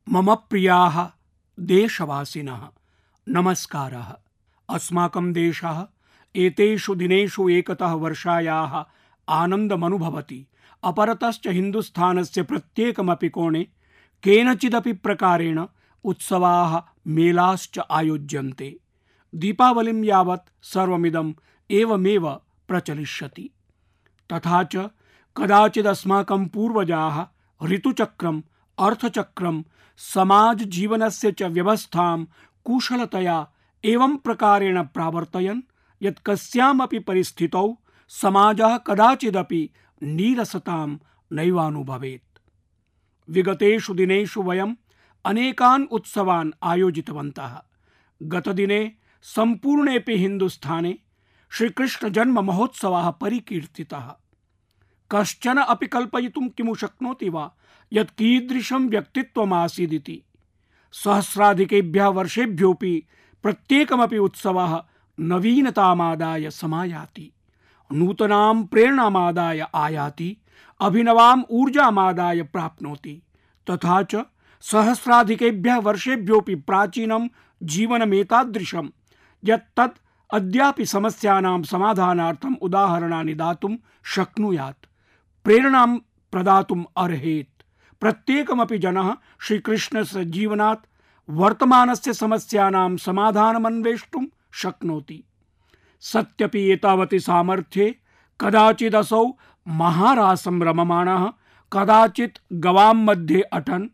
मम प्रियाः देशवासिनः नमस्कारः। अस्माकं देशः एतेषु दिनेषु एकतः वर्षायाः आनन्दमनुभवति, अपरतश्च हिन्दुस्थानस्य प्रत्येकमपि कोणे केनचिदपि प्रकारेण उत्सवाः मेलाश्च आयोज्यन्ते। दीपावलिं यावत् सर्वमिदम् एवमेव प्रचलिष्यति। तथा च कदाचिदस्माकं पूर्वजाः ऋतुचक्रम्, अर्थचक्रं, समाजजीवनस्य च व्यवस्थां कुशलतया एवं प्रकारेण प्रावर्तयन् यत् कस्यामपि परिस्थितौ समाजः कदाचिदपि नीरसतां नैवानुभवेत्। विगतेषु दिनेषु वयम् अनेकान् उत्सवान् आयोजितवन्तः। गतदिने सम्पूर्णेऽपि हिन्दुस्थाने श्रीकृष्णजन्ममहोत्सवः परिकीर्तितः। कश्चन अपि कल्पयितुं किमु शक्नोति वा यत् कीदृशं व्यक्तित्वमासीदिति। सहस्राधिकेभ्यः वर्षेभ्योऽपि प्रत्येकमपि उत्सवः नवीनतामादाय समायाति, नूतनां प्रेरणामादाय आयाति, अभिनवाम् ऊर्जामादाय प्राप्नोति। तथा च सहस्राधिकेभ्यः वर्षेभ्योऽपि प्राचीनं जीवनमेतादृशं यत् तत् अद्यापि समस्यानां समाधानार्थम् उदाहरणानि दातुं शक्नुयात्, प्रेरणां प्रदातुम् अर्हेत्। प्रत्येकमपि जनः श्रीकृष्णस्य जीवनात् वर्तमानस्य समस्यानां समाधानमन्वेष्टुं शक्नोति। सत्यपि एतावति सामर्थ्ये कदाचिदसौ महारासं रममाणः, कदाचित् गवां मध्ये अटन्,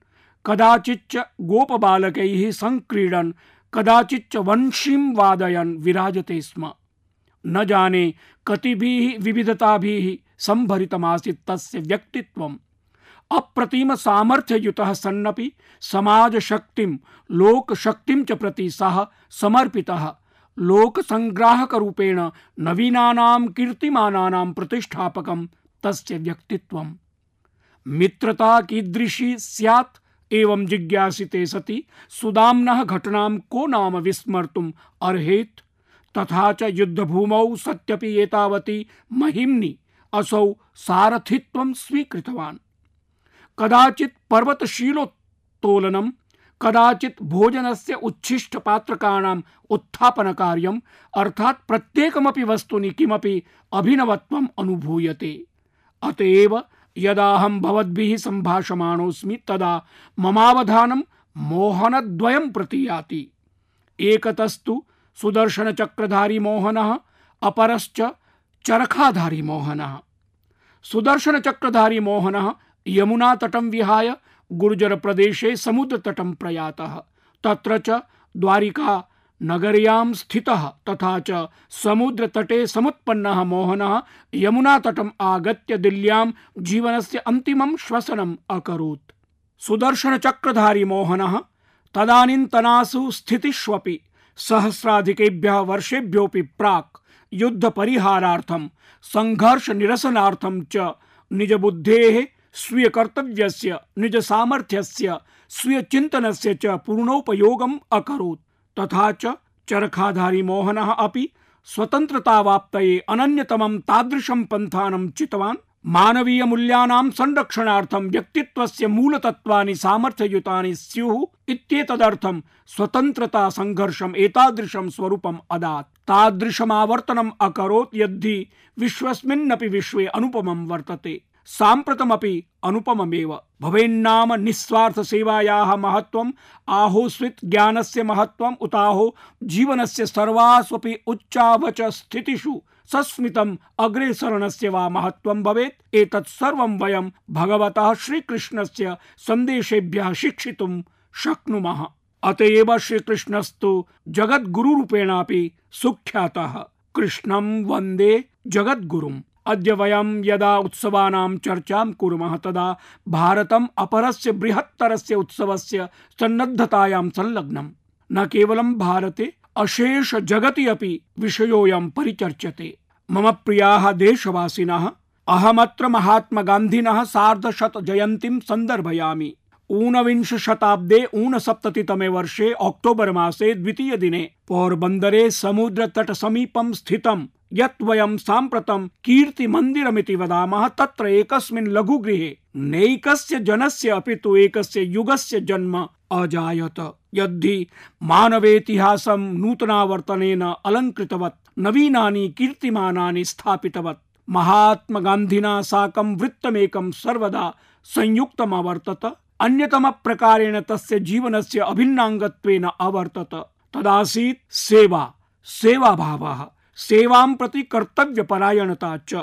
कदाचिच्च गोपबालकैः संक्रीडन्, कदाचिच्च वंशीं वादयन् विराजते स्म। न जाने कतिभिः विविधताभिः संभरितमासीत् तस्य व्यक्तित्वम्। अप्रतिम सामर्थ्ययुतः सन्नपि समाजशक्तिं, लोकशक्तिं च प्रति सः समर्पितः, लोकसंग्राहकरूपेण नवीनानां कीर्तिमानानां प्रतिष्ठापकं तस्य व्यक्तित्वम्। मित्रता कीदृशी स्यात् एवं जिज्ञासिते सति सुदाम्नः घटनां को नाम विस्मर्तुम् अर्हेत्। तथा च युद्धभूमौ सत्यपि एतावती महिम्नि असौ सारथित्वं स्वीकृतवान्। कदाचित् पर्वतशीलोत्तोलनं, कदाचित् भोजनस्य उच्छिष्टपात्रकाणाम् उत्थापनकार्यम्, अर्थात् प्रत्येकमपि वस्तुनि किमपि अभिनवत्वम् अनुभूयते। अतएव यदाहं भवद्भिः सम्भाषमाणोऽस्मि तदा ममावधानं मोहनद्वयं प्रति याति। एकतस्तु सुदर्शनचक्रधारी मोहनः, अपरश्च चरखाधारी मोहनः। सुदर्शनचक्रधारी मोहनः यमुनातटं विहाय गुर्जरप्रदेशे समुद्रतटं प्रयातः। तत्र च द्वारिका नगर्यां स्थितः। तथा च समुद्रतटे समुत्पन्नः मोहनः यमुनातटम् आगत्य दिल्ल्यां जीवनस्य अन्तिमं श्वसनम् अकरोत्। सुदर्शनचक्रधारी मोहनः तदानीन्तनासु स्थितिष्वपि सहस्राधिकेभ्यः वर्षेभ्योऽपि प्राक् युद्धपरिहारार्थं, संघर्षनिरसनार्थं च निजबुद्धेः, स्वीयकर्तव्यस्य, निजसामर्थ्यस्य, स्वीयचिन्तनस्य च पूर्णोपयोगम् अकरोत्। तथा च चरखाधारी मोहनः अपि स्वतन्त्रतावाप्तये अनन्यतमं तादृशं पन्थानं चितवान्। मानवीयमूल्यानां संरक्षणार्थं व्यक्तित्वस्य मूलतत्त्वानि सामर्थ्ययुतानि स्युः इत्येतदर्थं स्वतन्त्रता संघर्षम् एतादृशं स्वरूपम् अदात्। तादृशमावर्तनम् अकरोत् यद्धि विश्वस्मिन्नपि विश्वे अनुपमं वर्तते, साम्प्रतमपि अनुपममेव। भवेन्नाम निस्वार्थ सेवायाः महत्त्वम्, आहोस्वित् ज्ञानस्य महत्त्वम्, उताहो जीवनस्य सर्वास्वपि उच्चावच स्थितिषु सस्मितम् अग्रेसरणस्य वा महत्त्वं भवेत्। एतत् सर्वं वयं भगवतः श्रीकृष्णस्य सन्देशेभ्यः शिक्षितुं शक्नुमः। अतएव श्रीकृष्णस्तु जगद्गुरुरूपेणापि सुख्यातः। कृष्णं वन्दे जगद्गुरुम्। अद्य वयं यदा उत्सवानां चर्चां कुर्मः तदा भारतम् अपरस्य बृहत्तरस्य उत्सवस्य सन्नद्धतायां संलग्नम्। न केवलं भारते, अशेष जगति अपि विषयोऽयं परिचर्च्यते। मम प्रियाः देशवासिनः, अहमत्र महात्मा गान्धिनः सार्धशत जयन्तीं सन्दर्भयामि। ऊनविंश शताब्दे 69तमे वर्षे अक्टोबर मासे 2 दिने पोरबन्दरे समुद्रतट समीपं स्थितं यत् वयं साम्प्रतं कीर्तिमन्दिरमिति वदामः तत्र एकस्मिन् लघुगृहे नैकस्य जनस्य अपि तु एकस्य युगस्य जन्म अजायत। यद्धि मानवेतिहासं नूतनावर्तनेन अलङ्कृतवत् नवीनानि कीर्तिमानानि स्थापितवत् महात्मा गान्धिना साकं वृत्तमेकं सर्वदा संयुक्तम् अवर्तत। अन्यतम प्रकारेण तस्य जीवनस्य अभिन्नाङ्गत्वेन अवर्तत। तदासीत् सेवा, सेवाभावः, सेवां प्रति कर्तव्यपरायणता च।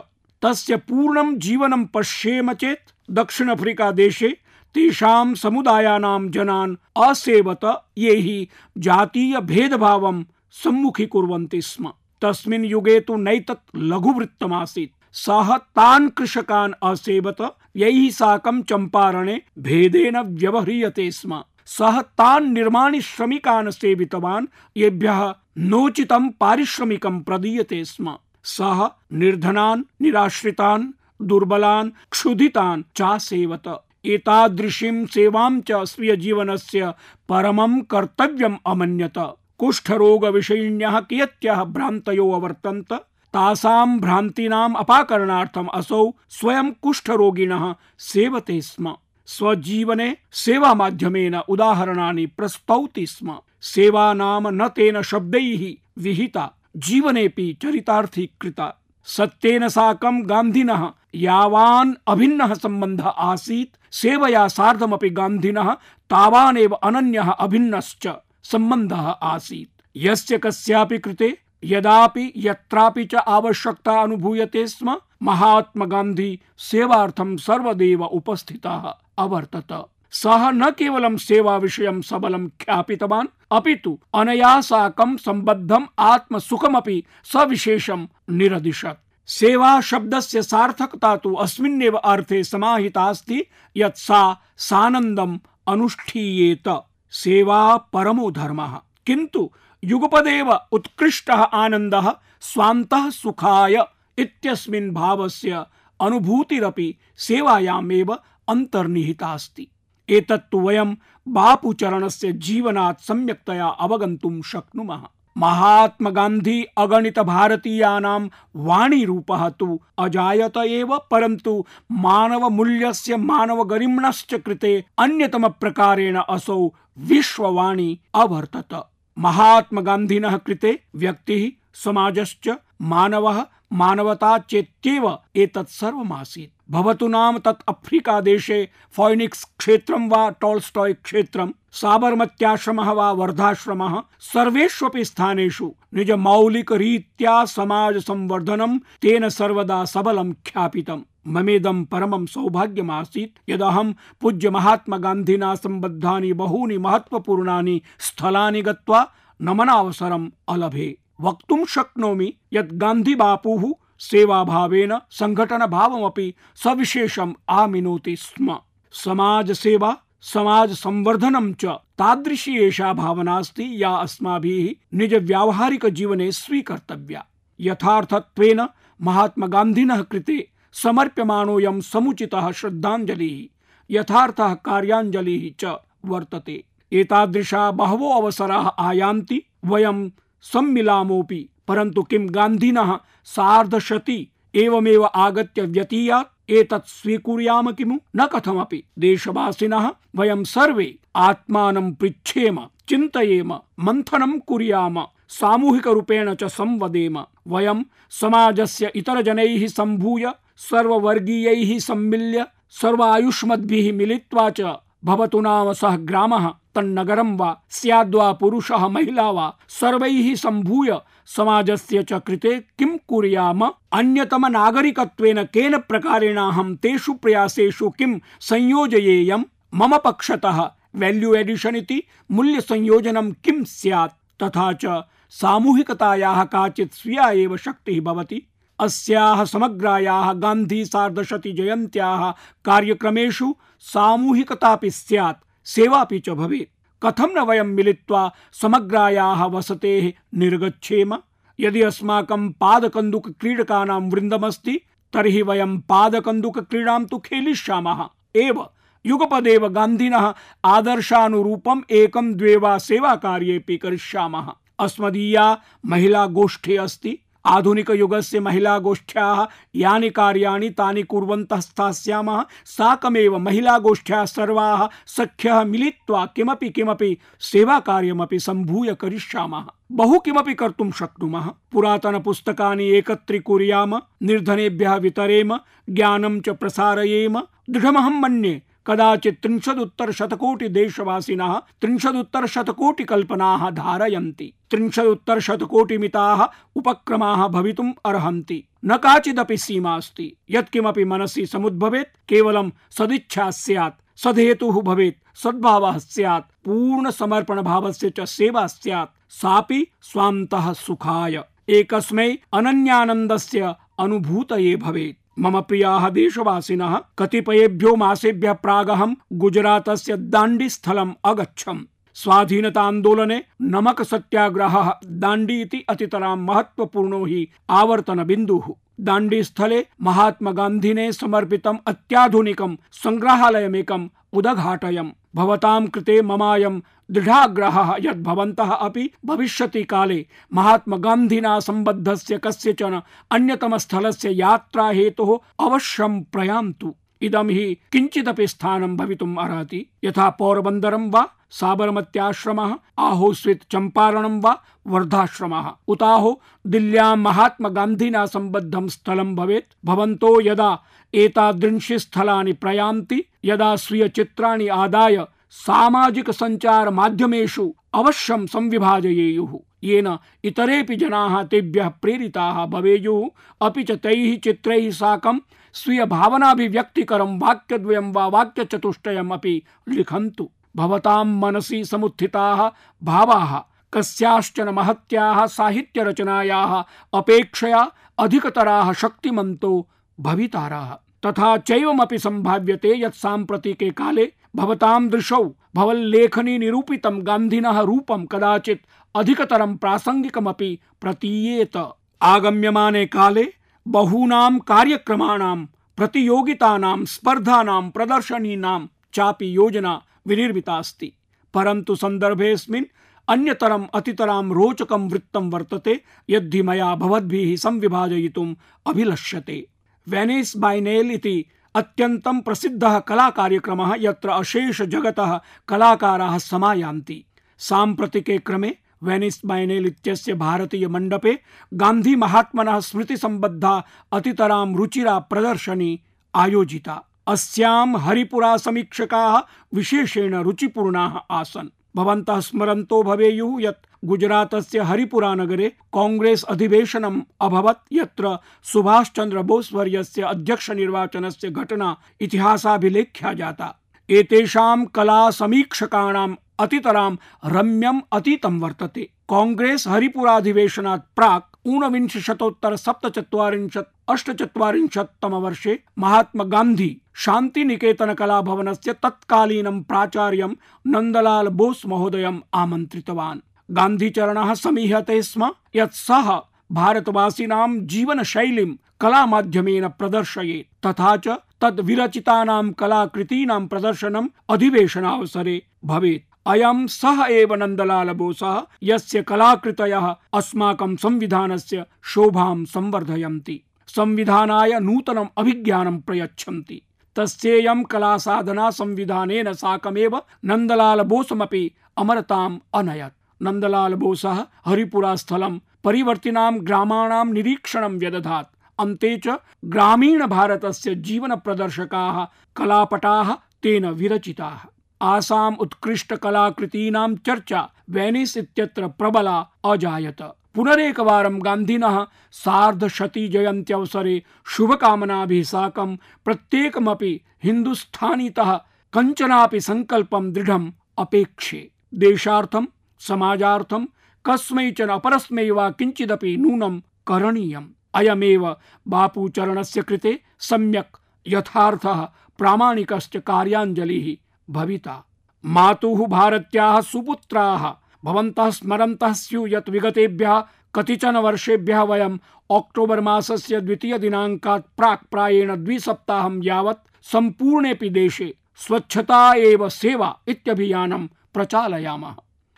तस्य पूर्णं जीवनं पश्येम चेत् दक्षिण अफ्रीका देशे तेषां समुदायानां जनान् असेवत ये हि जातीय भेदभावं सम्मुखीकुर्वन्ति स्म। तस्मिन् युगे तु नैतत् लघुवृत्तमासीत्। सः तान् कृषकान् असेवत यैः साकं चम्पारणे भेदेन व्यवह्रियते स्म। सः तान् निर्माणि श्रमिकान् सेवितवान् येभ्यः नोचितं पारिश्रमिकं प्रदीयते स्म। सः निर्धनान्, निराश्रितान्, दुर्बलान्, क्षुधितान् चासेवत। एतादृशीं सेवां च स्वीय जीवनस्य परमं कर्तव्यम् अमन्यत। कुष्ठरोगविषयिण्यः कियत्यः भ्रान्तयो अवर्तन्त। तासां भ्रान्तीनाम् अपाकरणार्थम् असौ स्वयं कुष्ठरोगिणः सेवते स्म। स्वजीवने सेवा माध्यमेन उदाहरणानि प्रस्तौति स्म। सेवा नाम न तेन शब्दैः विहिता, जीवनेपि चरितार्थीकृता। सत्येन साकं गान्धिनः यावान् अभिन्नः सम्बन्धः आसीत्, सेवया सार्धमपि गान्धिनः तावानेव अनन्यः अभिन्नश्च सम्बन्धः आसीत्। यस्य कस्यापि कृते यदापि यत्रापि च आवश्यकता अनुभूयते स्म, महात्मा गान्धी सेवार्थं सर्वदैव उपस्थितः अवर्तत। सः न केवलं सेवा विषयं सबलं ख्यापितवान्, अपितु अनया साकं सम्बद्धम् आत्मसुखमपि सविशेषं निरदिशत्। सेवा शब्दस्य सार्थकता तु अस्मिन्नेव अर्थे समाहिता अस्ति यत् सा सानन्दम् अनुष्ठीयेत। सेवा परमो धर्मः, किन्तु युगपदेव उत्कृष्टः आनन्दः स्वान्तः सुखाय इत्यस्मिन् भावस्य अनुभूतिरपि सेवायामेव अन्तर्निहिता अस्ति। एतत्तु वयं बापूचरणस्य जीवनात् सम्यक्तया अवगन्तुं शक्नुमः। महात्मा गान्धी अगणित भारतीयानां वाणीरूपः तु अजायत एव, परन्तु मानव मूल्यस्य, मानव गरिम्णश्च कृते अन्यतम प्रकारेण असौ विश्ववाणी अवर्तत। महात्मा गान्धिनः कृते व्यक्तिः, समाजश्च, मानवः, मानवता चेत्येव एतत् सर्वमासीत्। भवतु नाम तत् अफ्रीका देशे फोइनिक्स क्षेत्रं वा टॉल्स्टॉय क्षेत्रं, साबरमत्याश्रमः वा वर्धाश्रमः, सर्वेष्वपि स्थानेषु निज मौलिक रीत्या समाज संवर्धनं तेन सर्वदा सबलं ख्यापितम्। ममेदं परमं सौभाग्यमासीत् यदहं पूज्य महात्मा गान्धिना सम्बद्धानि बहूनि महत्वपूर्णानि स्थलानि गत्वा नमनावसरम् अलभे। वक्तुं शक्नोमि यत् गान्धी बापुः सेवाभावेन संघटन भावमपि सविशेषम् आमिनोति स्म। समाज सेवा, समाज संवर्धनं च तादृशी एषा भावना अस्ति या अस्माभिः निज व्यावहारिक जीवने स्वीकर्तव्या। यथार्थत्वेन महात्मा गान्धिनः कृते समर्प्यमाणोऽयं समुचितः श्रद्धाञ्जलिः, यथार्थः कार्याञ्जलिः च वर्तते। एतादृशा बहवो अवसराः आयान्ति, वयं सम्मिलामोऽपि, परन्तु किं गान्धिनः सार्धशती एवमेव आगत्य व्यतीयात् एतत् स्वीकुर्याम किमु? न कथमपि। देशवासिनः वयं सर्वे आत्मानं पृच्छेम, चिन्तयेम, मन्थनं कुर्याम, सामूहिक रूपेण च संवदेम। वयं समाजस्य इतरजनैः सम्भूय, सर्ववर्गीयैः सम्मिल्य, सर्वायुष्मद्भिः मिलित्वा च भवतु नाम सः ग्रामः, तन्नगरं वा स्याद्वा पुरुषः महिला वा, सर्वैः सम्भूय समाजस्य च कृते किं कुर्याम, अन्यतम नागरिकत्वेन केन प्रकारेणाहं तेषु प्रयासेषु किं संयोजयेयं, मम पक्षतः वैल्यू एडिशन इति मूल्य संयोजनं किं स्यात्, तथा च सामूहिकतायाः काचित् स्वीया एव शक्तिः भवति। अस्याः समग्रायाः गान्धी सार्धशती जयन्त्याः कार्यक्रमेषु सामूहिकतापि स्यात्, सेवापि च भवेत्। कथं न वयं मिलित्वा समग्रायाः वसतेः निर्गच्छेम। यदि अस्माकं पादकन्दुक क्रीडकानां वृन्दमस्ति तर्हि वयं पादकन्दुक क्रीडां तु खेलिष्यामः एव। युगपदेव गान्धिनः आदर्शानुरूपम् एकं द्वे वा सेवाकार्येऽपि करिष्यामः। अस्मदीया महिला गोष्ठी अस्ति। आधुनिकयुगस्य महिलागोष्ठ्याः यानि कार्याणि तानि कुर्वन्तः स्थास्यामः। साकमेव महिलागोष्ठ्याः सर्वाः सख्यः मिलित्वा किमपि सेवाकार्यमपि सम्भूय करिष्यामः। बहु किमपि कर्तुं शक्नुमः। पुरातनपुस्तकानि एकत्रीकुर्याम, निर्धनेभ्यः वितरेम, ज्ञानं च प्रसारयेम। दृढमहं मन्ये कदाचित् 30-शतकोटि देशवासिनः 30-शतकोटि कल्पनाः धारयन्ति। 30-शतकोटि मिताः उपक्रमाः भवितुम् अर्हन्ति। न काचिदपि सीमा अस्ति। यत्किमपि मनसि समुद्भवेत् केवलं सदिच्छा स्यात्, सदहेतुः भवेत्, सद्भावः स्यात्, पूर्ण समर्पण भावस्य च सेवा स्यात्, सापि स्वान्तः सुखाय एकस्मै अनन्यानन्दस्य अनुभूतये भवेत्। मम प्रियाः देशवासिनः, कतिपयेभ्यो मासेभ्यः प्रागहं गुजरातस्य दाण्डी स्थलम् अगच्छम्। स्वाधीनतान्दोलने नमक सत्याग्रहः दाण्डी इति अतितरां महत्वपूर्णो हि आवर्तन बिन्दुः। दाण्डी स्थले महात्मा गान्धिने समर्पितम् अत्याधुनिकं संग्रहालयमेकम् उदघाटयम्। भवतां कृते ममायं दृढाग्रहः यत् भवन्तः अपि भविष्यति काले महात्मा गान्धिना सम्बद्धस्य कस्यचन अन्यतमस्थलस्य यात्रा हेतुः अवश्यं प्रयान्तु। इदं हि किञ्चिदपि स्थानं भवितुम् अर्हति। यथा पोरबन्दरं वा साबरमत्याश्रमः, आहो स्वित् चम्पारणं वा वर्धाश्रमः, उताहो दिल्ल्यां महात्मा गान्धिना सम्बद्धं स्थलं भवेत्। भवन्तो यदा एतादृशी स्थलानि प्रयान्ति, यदा स्वीय चित्राणि आदाय सामाजिक संचार माध्यमेषु अवश्यं संविभाजयेयुः, येन इतरेपि जनाः तेभ्यः प्रेरिताः भवेयुः। अपि च तैः चित्रैः साकं स्वीय भावनाभिव्यक्तिकरं वाक्यद्वयं वा वाक्यचतुष्टयम् अपि लिखन्तु। भवतां मनसि समुत्थिताः भावाः कस्याश्चन महत्याः साहित्यरचनायाः अपेक्षया अधिकतराः शक्तिमन्तो भविताराः। तथा चैवमपि सम्भाव्यते यत् साम्प्रतिके काले भवतां दृशौ भवल्लेखनी निरूपितं गान्धिनः रूपं कदाचित् अधिकतरं प्रासंगिकमपि प्रतीयेत। आगम्यमाने काले बहूनां कार्यक्रमाणां, प्रतियोगितानां, स्पर्धानां, प्रदर्शनीनां चापि योजना विनिर्मिता अस्ति। परन्तु सन्दर्भेऽस्मिन् अन्यतरम् अतितरां रोचकं वृत्तं वर्तते यद्धि मया भवद्भिः संविभाजयितुम् अभिलष्यते। वेनिस् बाइनेल् इति अत्यन्तं प्रसिद्धः कलाकार्यक्रमः, यत्र अशेष जगतः कलाकाराः समायान्ति। साम्प्रतिके क्रमे वेनिस् बाइनेल् इत्यस्य भारतीय मण्डपे गान्धी महात्मनः स्मृति सम्बद्धा अतितरां रुचिरा प्रदर्शनी आयोजिता। अस्यां हरिपुरा समीक्षकाः विशेषेण रुचिपूर्णाः आसन्। भवन्तः स्मरन्तो भवेयुः यत् गुजरातस्य हरिपुरा नगरे कांग्रेस अधिवेशनम् अभवत्, यत्र सुभाष चंद्र बोस वर्यस्य अध्यक्ष निर्वाचनस्य घटना इतिहासाभिलेख्या जाता। एतेषां कला समीक्षकाणां अतितरां रम्यम् अतीतं वर्तते। कांग्रेस हरिपुराधिवेशनात् प्राक् ऊनविंशशतोत्तर 47-48 महात्मा गान्धी शान्तिनिकेतन कलाभवनस्य तत्कालीनं प्राचार्यं नन्दलाल बोस महोदयम् आमन्त्रितवान्। गान्धीचरणः समीहते स्म यत् सः भारतवासिनां जीवनशैलीं कलामाध्यमेन प्रदर्शयेत्, तथा च तद् विरचितानां कलाकृतीनां प्रदर्शनम् अधिवेशनावसरे भवेत्। अयं सः एव नन्दलाल बोसः यस्य कलाकृतयः अस्माकं संविधानस्य शोभां संवर्धयन्ति, संविधानाय नूतनम् अभिज्ञानं प्रयच्छन्ति। तस्येयं कलासाधना संविधानेन साकमेव नन्दलाल बोसमपि अमरताम् अनयत्। नन्दलाल बोसः हरिपुरा स्थलं परिवर्तिनां ग्रामाणां निरीक्षणं व्यदधात्। अन्ते च ग्रामीण भारतस्य जीवन प्रदर्शकाः कलापटाः तेन विरचिताः। आसाम उत्कृष्ट कलाकृतीनां चर्चा वेनिस् इत्यत्र प्रबला अजायत। पुनरेकवारं गान्धिनः सार्धशती जयन्त्यवसरे शुभकामनाभिः साकं प्रत्येकमपि हिन्दुस्थानीतः कञ्चनापि संकल्पं दृढम् अपेक्षे। देशार्थं, समाजार्थं कस्मैचन अपरस्मै वा किञ्चिदपि नूनं करणीयम्। अयमेव बापूचरणस्य कृते सम्यक् यथार्थः प्रामाणिकश्च कार्याञ्जलिः भविता। मातुः भारत्याः सुपुत्राः भवन्तः स्मरन्तः स्युः यत् विगतेभ्यः कतिचन वर्षेभ्यः वयम् अक्टोबर् मासस्य 2 दिनाङ्कात् प्राक् प्रायेण 2 सप्ताहं यावत् सम्पूर्णेऽपि देशे स्वच्छता एव सेवा इत्यभियानं प्रचालयामः।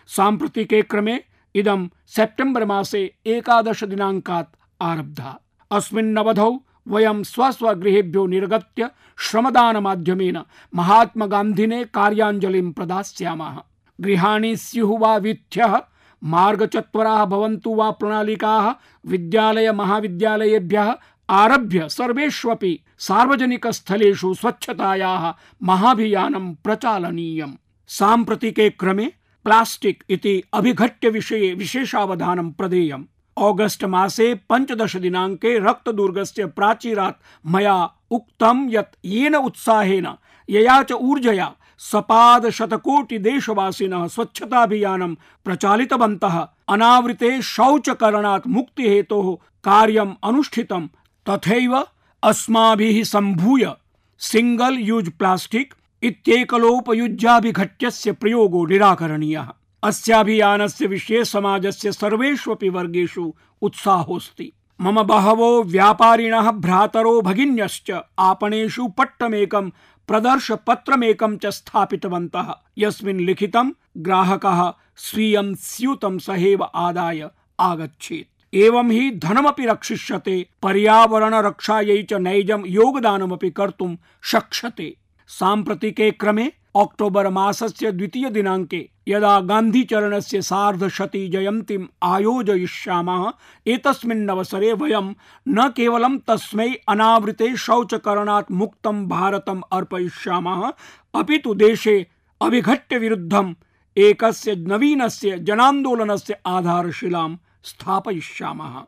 साम्प्रतिके क्रमे इदं सेप्टेम्बर् मासे 11 दिनाङ्कात् आरब्धा। अस्मिन्नवधौ वयं स्वस्वगृहेभ्यो निर्गत्य श्रमदानमाध्यमेन महात्मगान्धिने कार्याञ्जलिं प्रदास्यामः। गृहाणि स्युः वा वीथ्यः, मार्गचत्वराः भवन्तु वा प्रणालिकाः, विद्यालय महाविद्यालयेभ्यः आरभ्य सर्वेष्वपि सार्वजनिकस्थलेषु स्वच्छतायाः महाभियानं प्रचालनीयम्। साम्प्रतिके क्रमे प्लास्टिक् इति अभिघट्य विषये विशेषावधानं प्रदेयम्। ऑगस्ट मासे 15 दिनाङ्के रक्तदुर्गस्य प्राचीरात् मया उक्तं यत् येन उत्साहेन यया च ऊर्जया सपाद शतकोटि देशवासिनः स्वच्छताभियानं प्रचालितवन्तः, अनावृते शौचकरणात् मुक्तिहेतोः कार्यम् अनुष्ठितं, तथैव अस्माभिः सम्भूय सिंगल यूज प्लास्टिक इत्येकलोपयुज्याभिघट्यस्य प्रयोगो निराकरणीयः। अस्याभियानस्य विषये समाजस्य सर्वेष्वपि वर्गेषु उत्साहोऽस्ति। मम बहवो व्यापारिणः भ्रातरो भगिन्यश्च आपणेषु पट्टमेकं प्रदर्शपत्रमेकं च स्थापितवन्तः, यस्मिन् लिखितं ग्राहकः स्वीयं स्यूतं सहैव आदाय आगच्छेत्। एवं हि धनमपि रक्षिष्यते, पर्यावरणरक्षायै च नैजं योगदानमपि कर्तुं शक्ष्यते। साम्प्रतिके क्रमे अक्टोबर मासस्य 2 दिनाङ्के यदा गान्धीचरणस्य 150 जयन्तीम् आयोजयिष्यामः, एतस्मिन्नवसरे वयं न केवलं तस्मै अनावृते शौचकरणात् मुक्तं भारतम् अर्पयिष्यामः, अपि तु देशे अभिघट्य विरुद्धम् एकस्य नवीनस्य जनान्दोलनस्य आधारशिलां स्थापयिष्यामः।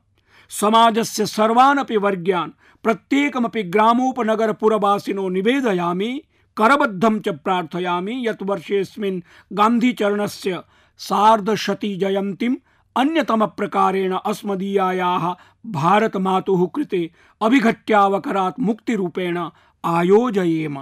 समाजस्य सर्वानपि वर्गान्, प्रत्येकमपि ग्रामोपनगरपुरवासिनो निवेदयामि, करबद्धं च प्रार्थयामि यत् वर्षेऽस्मिन् गान्धीचरणस्य 150 जयन्तीम् अन्यतमप्रकारेण अस्मदीयायाः भारतमातुः कृते अभिघट्यावकरात् मुक्तिरूपेण आयोजयेम।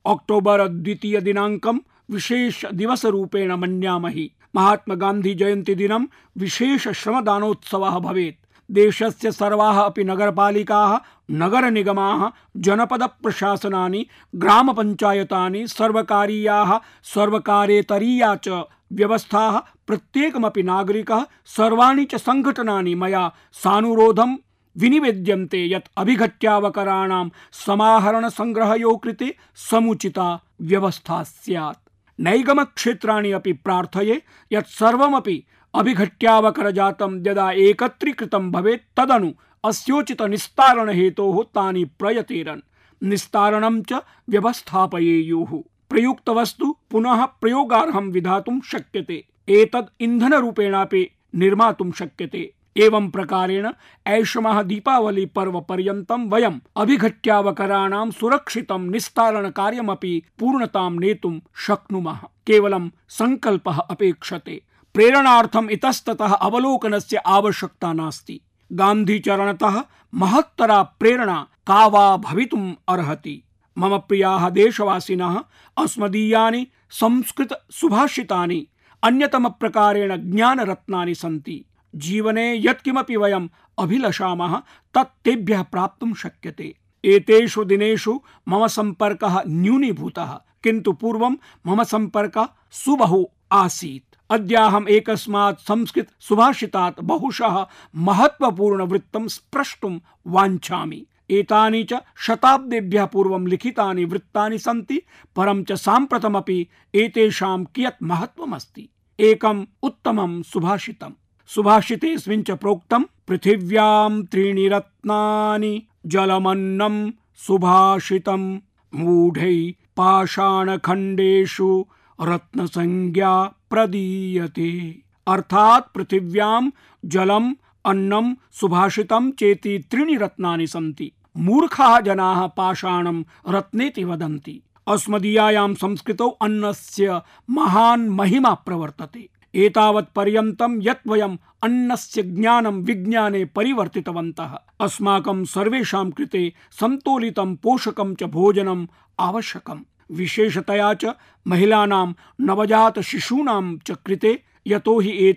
अक्टोबर 2 दिनाङ्कं विशेष दिवसरूपेण मन्यामहि। महात्मा गान्धी जयन्ती दिनं विशेष श्रमदानोत्सवः भवेत्। देशस्य सर्वाः अपि नगरपालिकाः, नगरनिगमाः, जनपद प्रशासनानि, ग्रामपञ्चायतानि, सर्वकारीयाः, सर्वकारेतरीया च व्यवस्थाः, प्रत्येकमपि नागरिकः, सर्वाणि च संघटनानि मया सानुरोधं विनिवेद्यन्ते यत् अभिघट्यावकराणां समाहरण संग्रहयोः कृते समुचिता व्यवस्था स्यात्। नैगमक्षेत्राणि अपि प्रार्थये यत् सर्वमपि अभिघट्यावकरजातं यदा एकत्रीकृतं भवेत्, तदनु अस्योचित निस्तारण हेतोः तानि प्रयतेरन्, निस्तारणं च व्यवस्थापयेयुः। प्रयुक्त वस्तु पुनः प्रयोगार्हं विधातुं शक्यते, एतद् इंधनरूपेणापि निर्मातुं शक्यते। एवं प्रकारेण ऐषमः दीपावली पर्व पर्यन्तं वयम् अभिघट्यावकराणां सुरक्षितं निस्तारण कार्यमपि पूर्णतां नेतुं शक्नुमः। केवलं संकल्पः अपेक्षते। प्रेरणार्थम् इतस्ततः अवलोकनस्य आवश्यकता नास्ति। गान्धीचरणतः महत्तरा प्रेरणा का वा भवितुम् अर्हति। मम प्रियाः देशवासिनः, अस्मदीयानि संस्कृत सुभाषितानि अन्यतमप्रकारेण ज्ञानरत्नानि सन्ति। जीवने यत्किमपि वयम् अभिलषामः तत् तेभ्यः प्राप्तुं शक्यते। एतेषु दिनेषु मम सम्पर्कः न्यूनीभूतः, किन्तु पूर्वं मम सम्पर्कः सुबहु आसीत्। अद्याहम् एकस्मात् संस्कृत सुभाषितात् बहुशः महत्वपूर्ण वृत्तं स्प्रष्टुं वाञ्छामि। एतानि च शताब्देभ्यः पूर्वं लिखितानि वृत्तानि सन्ति, परं च साम्प्रतमपि एतेषां कियत् महत्वमस्ति। एकम् उत्तमं सुभाषितम्। सुभाषितेऽस्मिन् च प्रोक्तं पृथिव्यां 3 रत्नानि जलमन्नं सुभाषितं मूढै पाषाणखण्डेषु रत्नसंज्ञा प्रदीयते। अर्थात् पृथिव्यां जलम्, अन्नं, सुभाषितं चेति 3 रत्नानि सन्ति। मूर्खाः जनाः पाषाणं रत्नेति वदन्ति। अस्मदीयायां संस्कृतौ अन्नस्य महान् महिमा प्रवर्तते। एतावत् पर्यन्तं यत् वयम् अन्नस्य ज्ञानं विज्ञाने परिवर्तितवन्तः, अस्माकं सर्वेषां कृते सन्तोलितं पोषकं च भोजनम् आवश्यकम्। विशेषतया च महिलानां, नवजात शिशूनां च कृते, यतो हि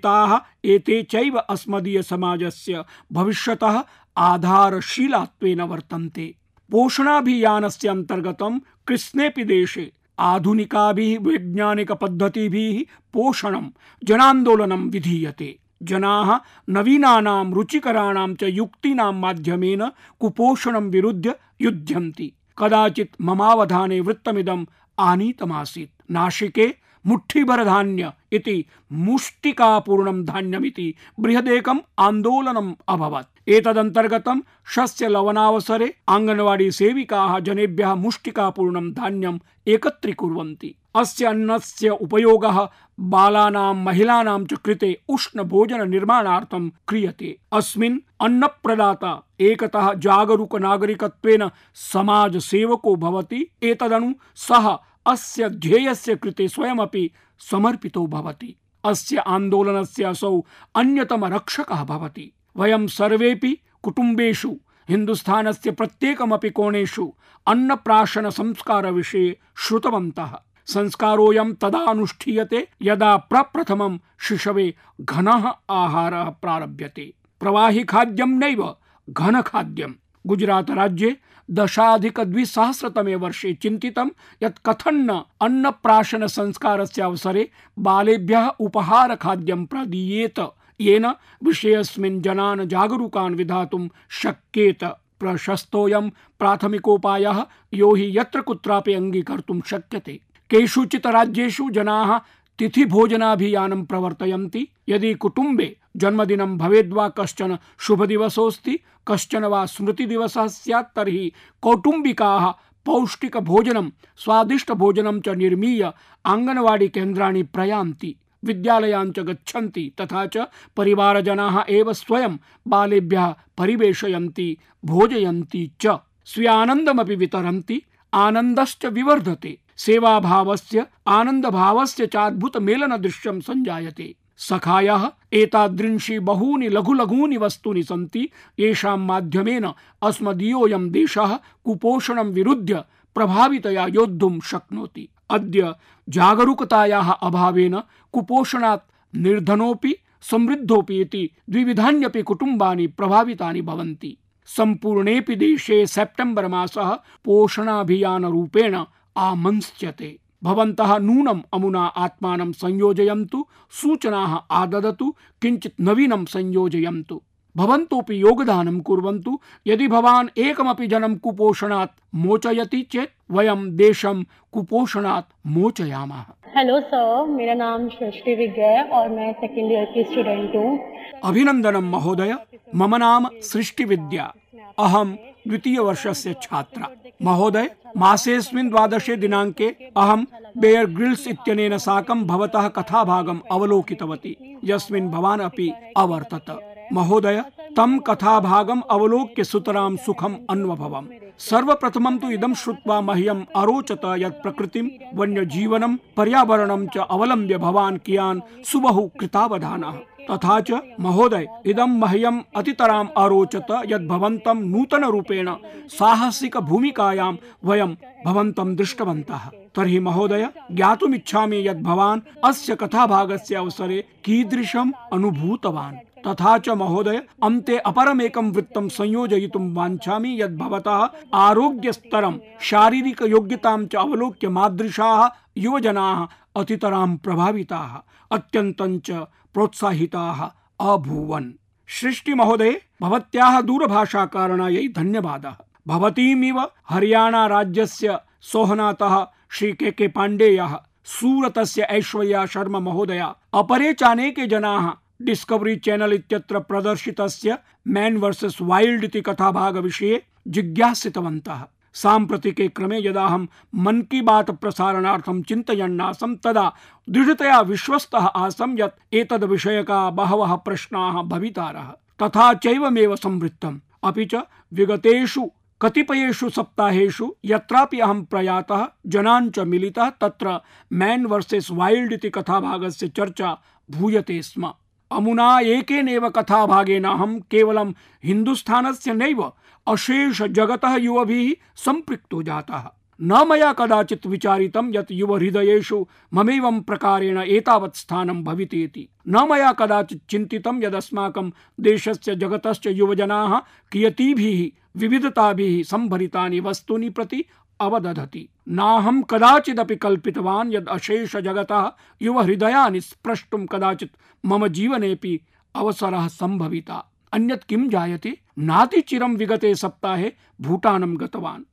एते चैव अस्मदीय समाजस्य भविष्यतः आधारशीलात्वेन वर्तन्ते। पोषणाभियानस्य अन्तर्गतं कृष्णेऽपि देशे आधुनिकाभिः वैज्ञानिक पद्धतिभिः पोषणं जनान्दोलनं विधीयते। जनाः नवीनानां रुचिकराणां च युक्तीनां माध्यमेन कुपोषणं विरुध्य युध्यन्ति। कदाचित् ममावधाने वृत्तमिदम् आनीतमासीत्। नाशिके मुठ्ठीभर धान्य इति मुष्टिकापूर्णं धान्यमिति बृहदेकम् आन्दोलनम् अभवत्। एतदन्तर्गतं शस्य लवनावसरे आङ्गनवाडी सेविकाः जनेभ्यः मुष्टिकापूर्णं धान्यम् एकत्रीकुर्वन्ति। अस्य अन्नस्य उपयोगः बालानां महिलानां च कृते उष्णभोजन निर्माणार्थं क्रियते। अस्मिन् अन्नप्रदाता एकतः जागरूक नागरिकत्वेन समाजसेवको भवति, एतदनु सः अस्य ध्येयस्य कृते स्वयमपि समर्पितो भवति। अस्य आन्दोलनस्य असौ अन्यतम रक्षकः भवति। वयं सर्वेपि कुटुम्बेषु हिन्दुस्थानस्य प्रत्येकमपि कोणेषु अन्नप्राशन संस्कार विषये श्रुतवन्तः। संस्कारोऽयं तदा अनुष्ठीयते यदा प्रप्रथमं शिशवे घनः आहारः प्रारभ्यते। प्रवाहि खाद्यं नैव घनखाद्यम्। गुजरात राज्ये 10,200 वर्षे चिन्तितं यत् कथन्न अन्नप्राशन संस्कारस्य अवसरे बालेभ्यः उपहार खाद्यं प्रदीयेत, येन विषयेऽस्मिन् जनान् जागरूकान् विधातुं शक्येत। प्रशस्तोऽयं प्राथमिकोपायः, यो हि यत्र कुत्रापि अङ्गीकर्तुं शक्यते। केषुचित् राज्येषु जनाः तिथिभोजनाभियानं प्रवर्तयन्ति। यदि कुटुम्बे जन्मदिनं भवेद्वा कश्चन शुभदिवसोऽस्ति, कश्चन वा स्मृतिदिवसः स्यात्, तर्हि कौटुम्बिकाः पौष्टिकभोजनं स्वादिष्टभोजनं च निर्मीय आङ्गनवाडी केन्द्राणि प्रयान्ति, विद्यालयान् च गच्छन्ति, तथा च परिवारजनाः एव स्वयं बालेभ्यः परिवेशयन्ति, भोजयन्ति च। स्वीयानन्दमपि वितरन्ति, आनन्दश्च विवर्धते। सेवाभावस्य आनन्दभावस्य च अद्भुतमेलनदृश्यं सञ्जायते। सखायः एतादृंशि बहूनि लघु लघूनि वस्तूनि सन्ति, येषां माध्यमेन अस्मदीयोऽयं देशः कुपोषणं विरुध्य प्रभावितया योद्धुं शक्नोति। अद्य जागरूकतायाः अभावेन कुपोषणात् निर्धनोऽपि समृद्धोऽपि इति द्विविधान्यपि कुटुम्बानि प्रभावितानि भवन्ति। सम्पूर्णेऽपि देशे सेप्टेम्बर मासः पोषणाभियानरूपेण आमन्स्यते। भवन्तः नूनम् अमुना आत्मानं संयोजयन्तु, सूचनाः आददतु, किञ्चित् नवीनं संयोजयन्तु। भवन्तोऽपि योगदानं कुर्वन्तु। यदि भवान् एकमपि जनं कुपोषणात् मोचयति चेत् वयं देशं कुपोषणात् मोचयामः। हेलो सर, मेरा नाम सृष्टि विद्या है और मैं सेकेंड ईयर की स्टूडेंट हूँ। अभिनंदनं महोदय, मम नाम सृष्टि विद्या, अहं द्वितीय वर्षस्य छात्रा। महोदय, मासेऽस्मिन् 12 दिनाङ्के अहं बेयर ग्रिल्स् इत्यनेन साकं भवतः कथाभागम् अवलोकितवती, यस्मिन् भवान् अपि अवर्तत। महोदय, तं कथाभागम् अवलोक्य सुतरां सुखम् अन्वभवम्। सर्वप्रथमं तु इदं श्रुत्वा मह्यम् अरोचत यत् प्रकृतिं, वन्यजीवनं, पर्यावरणं च अवलम्ब्य भवान् कियान् सुबहु कृतावधानः। तथा च महोदय, इदं मह्यम् अतितराम् अरोचत यत् भवन्तं नूतनरूपेण साहसिक भूमिकायां वयं भवन्तं दृष्टवन्तः। तर्हि महोदय, ज्ञातुमिच्छामि यत् भवान् अस्य कथाभागस्य अवसरे कीदृशम् अनुभूतवान्। तथा च महोदय, अन्ते अपरमेकं वृत्तं संयोजयितुं वाञ्छामि यत् भवतः आरोग्यस्तरं, शारीरिकयोग्यतां च अवलोक्य मादृशाः युवजनाः अतितरां प्रभाविताः, अत्यन्तं च प्रोत्साहिताः अभूवन्। सृष्टि महोदय, भवत्याः दूरभाषाकारणायै धन्यवादः। भवतीमिव हरियाणा राज्यस्य सोहनातः श्री के पाण्डेयः, सूरतस्य ऐश्वर्या शर्मा महोदया, अपरे चानेके जनाः डिस्कवरी चैनल इत्यत्र प्रदर्शितस्य मैन वर्सेस वाइल्ड इति कथाभागविषये जिज्ञासितवन्तः। साम्प्रतिके क्रमे यदा अहं मन की बात प्रसारणार्थं चिन्तयन्नासं तदा दृढतया विश्वस्तः आसं यत् एतद् विषयका बहवः प्रश्नाः भवितारः। तथा चैवमेव संवृत्तम्। अपि च विगतेषु कतिपयेषु सप्ताहेषु यत्रापि अहं प्रयातः, जनान् च मिलितः, तत्र मैन वर्सेस वाइल्ड इति कथाभागस्य चर्चा भूयते स्म। अमुना एकेनैव कथाभागेन अहं केवलं हिन्दुस्थानस्य नैव अशेष जगतः युवभिः सम्पृक्तो जातः। न मया कदाचित् विचारितं यत् युवहृदयेषु ममैवं प्रकारेण एतावत् स्थानं भवितेति। न मया कदाचित् चिन्तितं यदस्माकं देशस्य जगतश्च युवजनाः कियतीभिः विविधताभिः सम्भरितानि वस्तूनि प्रति अवदधति। नाहं कदाचिदपि कल्पितवान् यद् अशेष जगतः युवहृदयानि स्प्रष्टुं कदाचित् मम जीवनेऽपि अवसरः संभविता। अन्यत् किं जायते, नातिचिरं विगते सप्ताहे भूटानं गतवान्।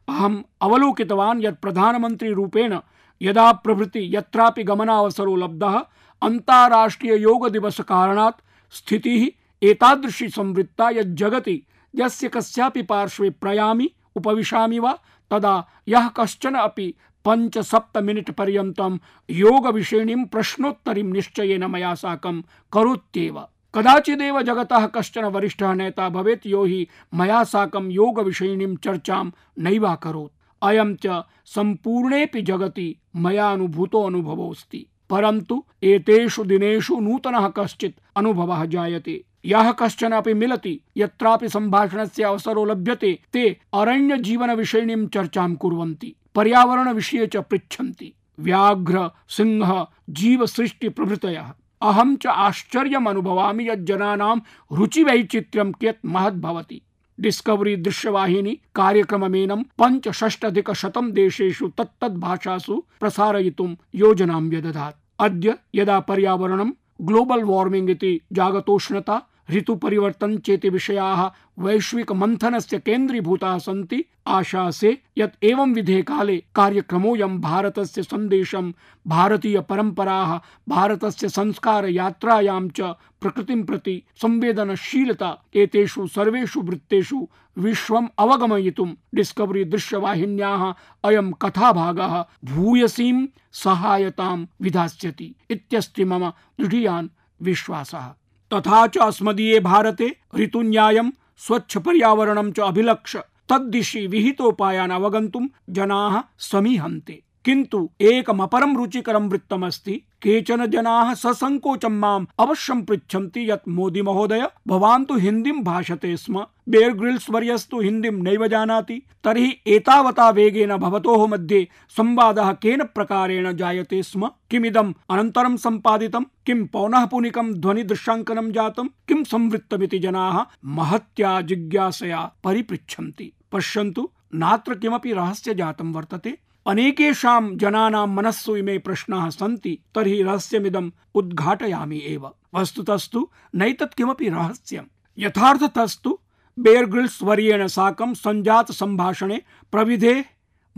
अहम् अवलोकितवान् यत् प्रधानमन्त्री रूपेण यदा प्रभृति यत्रापि गमनावसरो लब्धः, अन्ताराष्ट्रिय योग दिवस कारणात् स्थितिः एतादृशी संवृत्ता यत् जगति यस्य कस्यापि पार्श्वे प्रयामि उपविशामि वा तदा यः कश्चन अपि 5-7 मिनिट् पर्यन्तं योगविषयिणीं प्रश्नोत्तरीं निश्चयेन मया साकं करोत्येव। कदाचिदेव जगतः कश्चन वरिष्ठः नेता भवेत् यो हि मया साकं योगविषयिणीं चर्चां नैवाकरोत्। अयं च सम्पूर्णेऽपि जगति मया अनुभूतो अनुभवोऽस्ति। परन्तु एतेषु दिनेषु नूतनः कश्चित् अनुभवः जायते। यः कश्चन अपि मिलति, यत्रापि सम्भाषणस्य अवसरो लभ्यते, ते अरण्य जीवन विषयिणीं चर्चां कुर्वन्ति, पर्यावरण विषये च पृच्छन्ति। व्याघ्र, सिंह, जीव सृष्टि प्रभृतयः। अहं च आश्चर्यम् अनुभवामि यत् जनानां रुचिवैचित्र्यं कियत् महत् भवति। डिस्कवरी दृश्यवाहिनी कार्यक्रममेनं 65,100 देशेषु तत्तद्भाषासु प्रसारयितुं योजनां व्यदधात्। अद्य यदा पर्यावरणं, ग्लोबल वार्मिंग इति जागतोष्णता, ऋतु परिवर्तन चेति विषयाः वैश्विक मंथनस्य केन्द्रीभूताः सन्ति, आशासे यत् एवं विधे काले कार्यक्रमोऽयं भारतस्य सन्देशं, भारतीय परम्पराः, भारतस्य संस्कार यात्रायां च प्रकृतिं प्रति संवेदनशीलता एतेषु सर्वेषु वृत्तेषु विश्वम् अवगमयितुं डिस्कवरी दृश्यवाहिन्याः अयं कथाभागः भूयसीं सहायतां विधास्यति इत्यस्ति मम दृढीयान् विश्वासः। तथा च अस्मदीये भारते ऋतुन्यायं, स्वच्छ पर्यावरणं च अभिलक्ष्य तद्दिशि विहितोपायान् अवगन्तुं जनाः समीहन्ते। किन्तु एकमपरं रुचिकरं वृत्तमस्ति। केचन जनाः ससंकोचं माम् अवश्यं पृच्छन्ति यत् मोदी महोदय, भवान् तु हिन्दीं भाषते स्म, बेयर ग्रिल्स वर्यस्तु हिन्दीं नैव जानाति, तर्हि एतावता वेगेन भवतोः मध्ये संवादः केन प्रकारेण जायते स्म? किमिदम् अनन्तरं सम्पादितं? किं पौनःपुनिकं ध्वनिदृश्याङ्कनं जातं? किं संवृत्तमिति जनाः महत्या जिज्ञासया परिपृच्छन्ति। पश्यन्तु, नात्र किमपि रहस्य जातं वर्तते। अनेकेषां जनानां मनस्सु इमे प्रश्नाः सन्ति, तर्हि रहस्यमिदम् उद्घाटयामि एव। वस्तुतस्तु नैतत् किमपि रहस्यम्। यथार्थतस्तु बेयर ग्रिल्स वर्येण साकं सञ्जात सम्भाषणे प्रविधे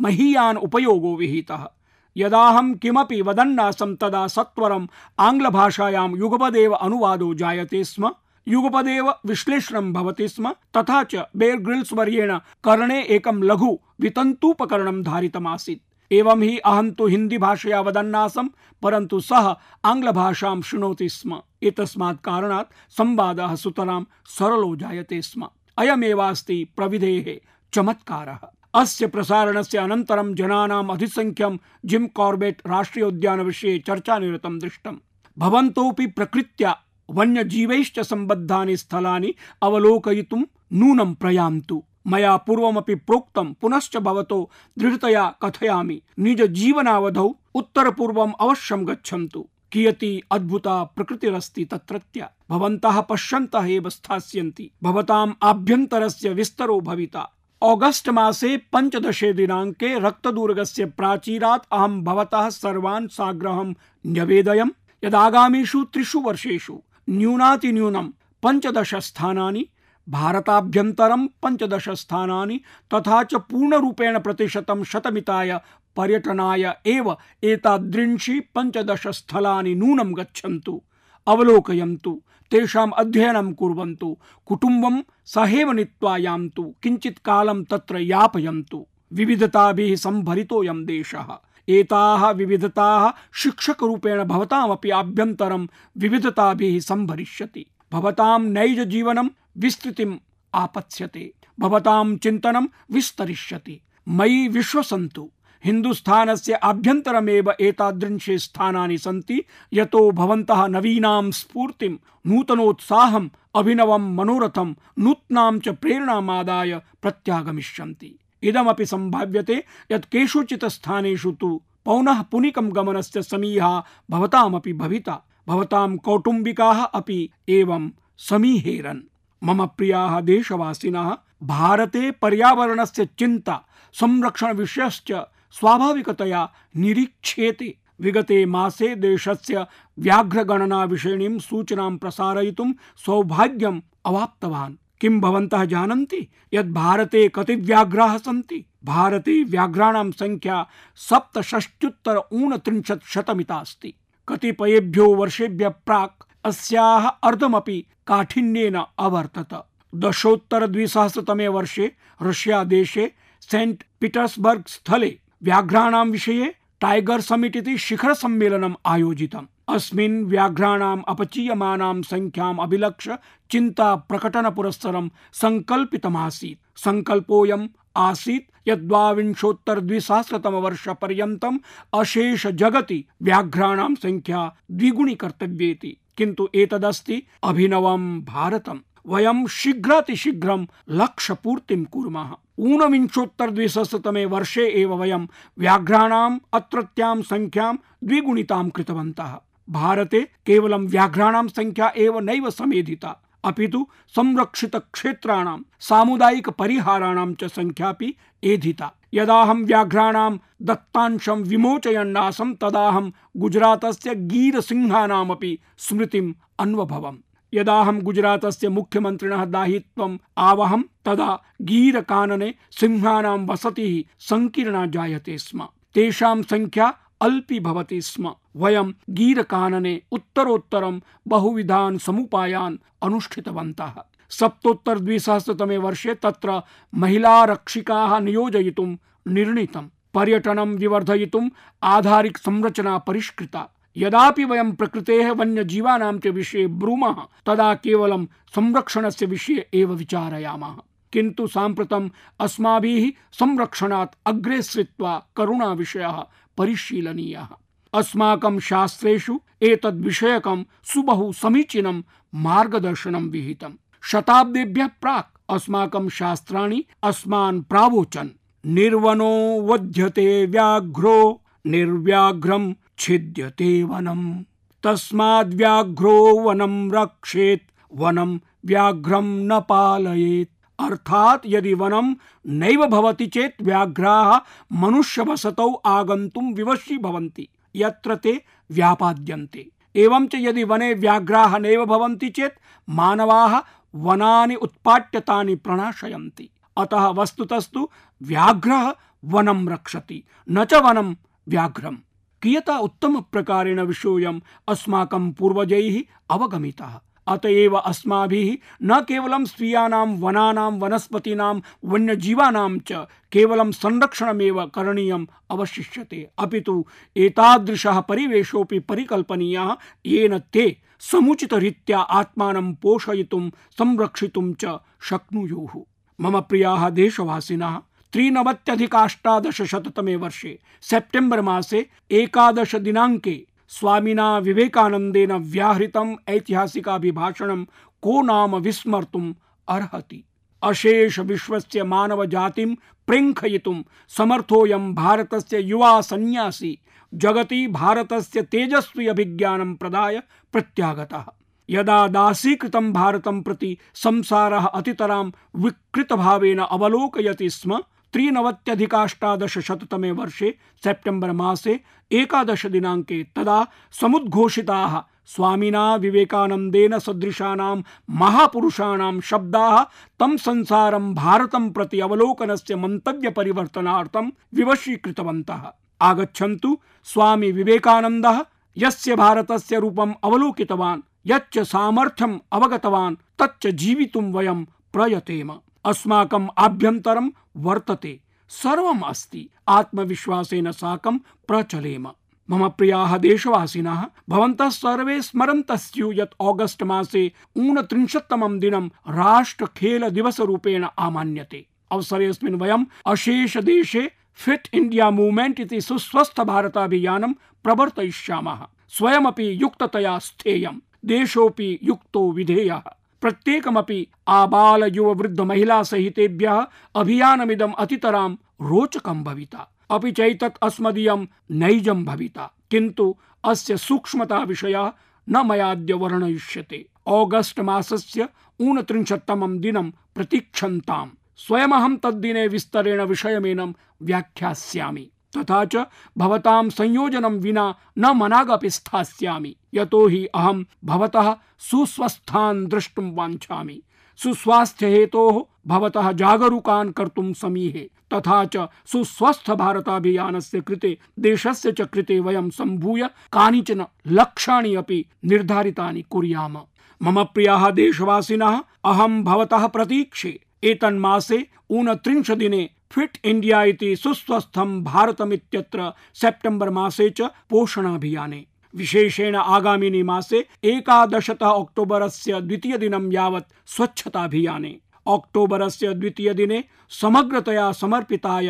महीयान् उपयोगो विहितः। यदाहं किमपि वदन्नासं तदा सत्वरम् आङ्ग्लभाषायां युगपदेव अनुवादो जायते स्म, युगपदेव विश्लेषणं भवति स्म। तथा च बेयर ग्रिल्स वर्येण कर्णे एकं लघु वितन्तूपकरणं धारितमासीत्। एवं हि अहं तु हिन्दी भाषया वदन्नासं, परन्तु सः आङ्ग्लभाषां शृणोति स्म। एतस्मात् कारणात् संवादः सुतरां सरलो जायते स्म। अयमेवास्ति प्रविधेः चमत्कारः। अस्य प्रसारणस्य अनन्तरं जनानाम् अधिसंख्यं जिम कॉर्बेट राष्ट्रियोद्यानविषये चर्चानिरतं दृष्टम्। भवन्तोऽपि प्रकृत्या वन्यजीवैश्च सम्बद्धानि स्थलानि अवलोकयितुं नूनं प्रयान्तु। मया पूर्वमपि प्रोक्तं, पुनश्च भवतो दृढतया कथयामि, निज जीवनावधौ उत्तरपूर्वम् अवश्यं गच्छन्तु। कियती अद्भुता प्रकृतिरस्ति तत्रत्या। भवन्तः पश्यन्तः एव स्थास्यन्ति। भवताम् आभ्यन्तरस्य विस्तरो भविता। ऑगस्ट मासे 15 दिनाङ्के रक्तदुर्गस्य प्राचीरात् अहं भवतः सर्वान् साग्रहं न्यवेदयम् यदागामिषु 3 वर्षेषु न्यूनातिन्यूनं 15 स्थानानि, भारताभ्यन्तरं 15 स्थानानि, तथा च पूर्णरूपेण प्रतिशतं शतमिताय पर्यटनाय एव एतादृंशि 15 स्थलानि नूनं गच्छन्तु, अवलोकयन्तु, तेषाम् अध्ययनं कुर्वन्तु, कुटुम्बं सहैव नीत्वा यान्तु, किञ्चित् कालं तत्र यापयन्तु। विविधताभिः सम्भरितोऽयं देशः। एताः विविधताः शिक्षकरूपेण भवतामपि आभ्यन्तरं विविधताभिः सम्भरिष्यति। भवतां नैज जीवनं विस्तृतिम् आपत्स्यते, भवतां चिन्तनं विस्तरिष्यति। मयि विश्वसन्तु, हिन्दुस्थानस्य आभ्यन्तरमेव एतादृशे स्थानानि सन्ति यतो भवन्तः नवीनां स्फूर्तिं, नूतनोत्साहम्, अभिनवं मनोरथं, नूत्नां च प्रेरणामादाय प्रत्यागमिष्यन्ति। इदमपि सम्भाव्यते यत् केषुचित् स्थानेषु तु पौनःपुनिकं गमनस्य समीहा भवतामपि भविता। भवतां कौटुम्बिकाः अपि एवं समीहेरन्। मम प्रियाः देशवासिनः, भारते पर्यावरणस्य चिन्ता, संरक्षण विषयश्च स्वाभाविकतया निरीक्ष्येते। विगते मासे देशस्य व्याघ्रगणना विषयिणीं सूचनां प्रसारयितुं सौभाग्यम् अवाप्तवान्। किं भवन्तः जानन्ति यत् भारते कति व्याघ्राः सन्ति? भारते व्याघ्राणां संख्या 67,39,000 अस्ति। कतिपयेभ्यो वर्षेभ्यः प्राक् अस्याः अर्धमपि काठिन्येन अवर्तत। दशोत्तर-2000 वर्षे रशिया देशे सेंट पीटर्सबर्ग स्थले व्याघ्राणां विषये टाइगर समिट इति शिखर सम्मेलनम् आयोजितम्। अस्मिन् व्याघ्राणाम् अपचीयमानां संख्याम् अभिलक्ष्य चिन्ता प्रकटन पुरस्सरं संकल्पितमासीत्। संकल्पोऽयम् आसीत् यत् 22,000 वर्षपर्यन्तम् अशेष जगति व्याघ्राणां संख्या द्विगुणीकर्तव्येति। किन्तु एतदस्ति अभिनवं भारतम्। वयं शीघ्रातिशीघ्रं लक्ष्यपूर्तिं कुर्मः। 19,200 वर्षे एव वयं व्याघ्राणाम् अत्रत्यां संख्यां द्विगुणितां कृतवन्तः। भारते केवलं व्याघ्राणां संख्या एव नैव समेधिता, अपितु संरक्षित क्षेत्राणां सामुदायिक परिहाराणां च संख्यापि एधिता। यदाहं व्याघ्राणां दत्तांशं विमोचयन्नासं तदाहं गुजरातस्य गीरसिंहानामपि स्मृतिम् अन्वभवम्। यदाहं गुजरातस्य मुख्यमन्त्रिणः दायित्वम् आवहं तदा गीरकानने सिंहानां वसतिः संकीर्णा जायते स्म। तेषां संख्या अल्पी भवति स्म। वयं गीरकानने उत्तरोत्तरं बहुविधान् समुपायान् अनुष्ठितवन्तः। 7,200 वर्षे तत्र महिलारक्षिकाः नियोजयितुं निर्णीतम्। पर्यटनं विवर्धयितुम् आधारिक संरचना परिष्कृता। यदापि वयं प्रकृतेः वन्यजीवानां च विषये ब्रूमः तदा केवलं संरक्षणस्य विषये एव विचारयामः। किन्तु साम्प्रतम् अस्माभिः संरक्षणात् अग्रे सृत्वा करुणाविषयः परिशीलनीयः। अस्माकं शास्त्रेषु एतद्विषयकं सुबहु समीचीनं मार्गदर्शनं विहितम्। शताब्देभ्यः प्राक् अस्माकं शास्त्राणि अस्मान् प्रावोचन्। निर्वनो वध्यते व्याघ्रो निर्व्याघ्रं छिद्यते वनम्। तस्माद्व्याघ्रो वनं रक्षेत् वनं व्याघ्रं न पालयेत्। अर्थात यदि वनं नैव भवति चेत् व्याघ्राः मनुष्यवसतौ आगन्तुं विवशी भवन्ति यत्र ते व्यापाद्यन्ते। एवं च यदि वने व्याघ्राः नैव भवन्ति चेत् मानवाः वनानि उत्पाट्य तानि प्रणाशयन्ति। अतः वस्तुतस्तु व्याघ्रः वनं रक्षति, न च वनं व्याघ्रम्। कियता उत्तम प्रकारेण विषयोऽयम् अस्माकं पूर्वजैः अवगमितः। अतएव अस्माभिः न केवलं स्वीयानां वनानां वनस्पतीनां वन्यजीवानां च केवलं संरक्षणमेव करणीयम् अवशिष्यते, अपितु एतादृशः परिवेशोऽपि परिकल्पनीयः येन ते समुचितरीत्या आत्मानं पोषयितुं संरक्षितुं च शक्नुयुः। मम प्रियाः देशवासिनः, 93,1800 वर्षे सेप्टेम्बर मासे 11 दिनाङ्के स्वामिना विवेकानन्देन व्याहृतम् ऐतिहासिकाभिभाषणं को नाम विस्मर्तुम् अर्हति। अशेष विश्वस्य मानव जातिं प्रेङ्खयितुं समर्थोऽयं भारतस्य युवा सन्यासी जगति भारतस्य तेजस्वी अभिज्ञानं प्रदाय प्रत्यागतः। यदा दासीकृतं भारतं प्रति संसारः अतितरां विकृतभावेन अवलोकयति स्म, 93,1800 वर्षे सेप्टेम्बर मासे 11 दिनाङ्के तदा समुद्घोषिताः स्वामिना विवेकानन्देन सदृशानां महापुरुषाणां शब्दाः तं संसारं भारतं प्रति अवलोकनस्य मन्तव्यपरिवर्तनार्थं विवशीकृतवन्तः। आगच्छन्तु स्वामी विवेकानन्दः यस्य भारतस्य रूपम् अवलोकितवान्, यच्च सामर्थ्यम् अवगतवान्, तच्च जीवितुं वयं प्रयतेम। अस्माकम् आभ्यन्तरं वर्तते, सर्वम् अस्ति, आत्मविश्वासेन साकं प्रचलेम। मम प्रियाः देशवासिनः, भवन्तः सर्वे स्मरन्तः स्युः यत् ऑगस्ट मासे 29तमं दिनं राष्ट्रखेल दिवसरूपेण आमान्यते। अवसरेऽस्मिन् वयम् अशेष देशे फिट इंडिया मूवमेंट इति सुस्वस्थ भारताभियानं प्रवर्तयिष्यामः। स्वयमपि युक्ततया स्थेयम्, देशोऽपि युक्तो विधेयः। प्रत्येकमपि आबाल युव वृद्ध महिला सहितेभ्यः अभियानमिदम् अतितरां रोचकं भविता, अपि चैतत् अस्मदीयं नैजं भविता। किन्तु अस्य सूक्ष्मता विषयः न मयाद्य वर्णयिष्यते। ऑगस्ट मासस्य 29तमं दिनं प्रतीक्षन्ताम्। स्वयमहं तद्दिने विस्तरेण विषयमेनं व्याख्यास्यामि। तथा च भवतां संयोजनं विना न मनागपि स्थास्यामि, यतो हि अहं भवतः सुस्वस्थान् द्रष्टुं वाञ्छामि। सुस्वास्थ्य हेतोः भवतः जागरूकान् कर्तुं समीहे, तथा च सुस्वस्थ भारताभियानस्य कृते देशस्य च कृते वयं सम्भूय कानिचन लक्ष्याणि अपि निर्धारितानि कुर्याम। मम प्रियाः देशवासिनः, अहं भवतः प्रतीक्षे एतन्मासे 29 दिने फिट इंडिया इति सुस्वस्थं भारतमित्यत्र सेप्टेम्बर मासे च पोषणाभियाने, विशेषेण आगामिनि मासे 11 अक्टोबरस्य 2 दिनं यावत् स्वच्छताभियाने, अक्टोबरस्य 2 दिने समग्रतया समर्पिताय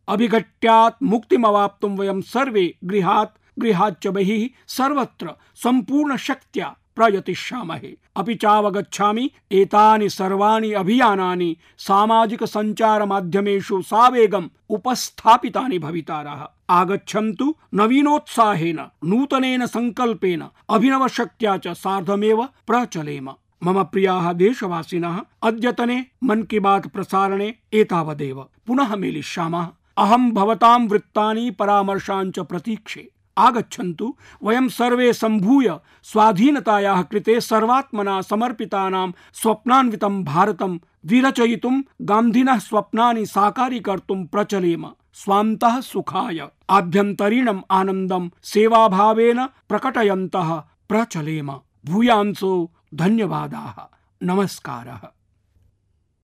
अभिघट्यात् मुक्तिमवाप्तुं वयं सर्वे गृहाच्च बहिः सर्वत्र संपूर्ण शक्त्या प्रयतिष्यामहे। अपि चावगच्छामि, एतानि सर्वाणि अभियानानि सामाजिक संचार माध्यमेषु सावेगम् उपस्थापितानि भवितारः। आगच्छन्तु नवीनोत्साहेन, नूतनेन संकल्पेन, अभिनवशक्त्या च सार्धमेव प्रचलेम। मम प्रियाः देशवासिनः, अद्यतने मन की बात प्रसारणे एतावदेव। पुनः मेलिष्यामः। अहं भवतां वृत्तानि परामर्शान् च प्रतीक्षे। आगच्छन्तु, वयं सर्वे सम्भूय स्वाधीनतायाः कृते सर्वात्मना समर्पितानां स्वप्नान्वितं भारतं विरचयितुं, गान्धिनः स्वप्नानि साकारीकर्तुं प्रचलेम। स्वान्तः सुखाय आभ्यन्तरीणम् आनन्दं सेवाभावेन प्रकटयन्तः प्रचलेम। भूयांसो धन्यवादाः। नमस्कारः।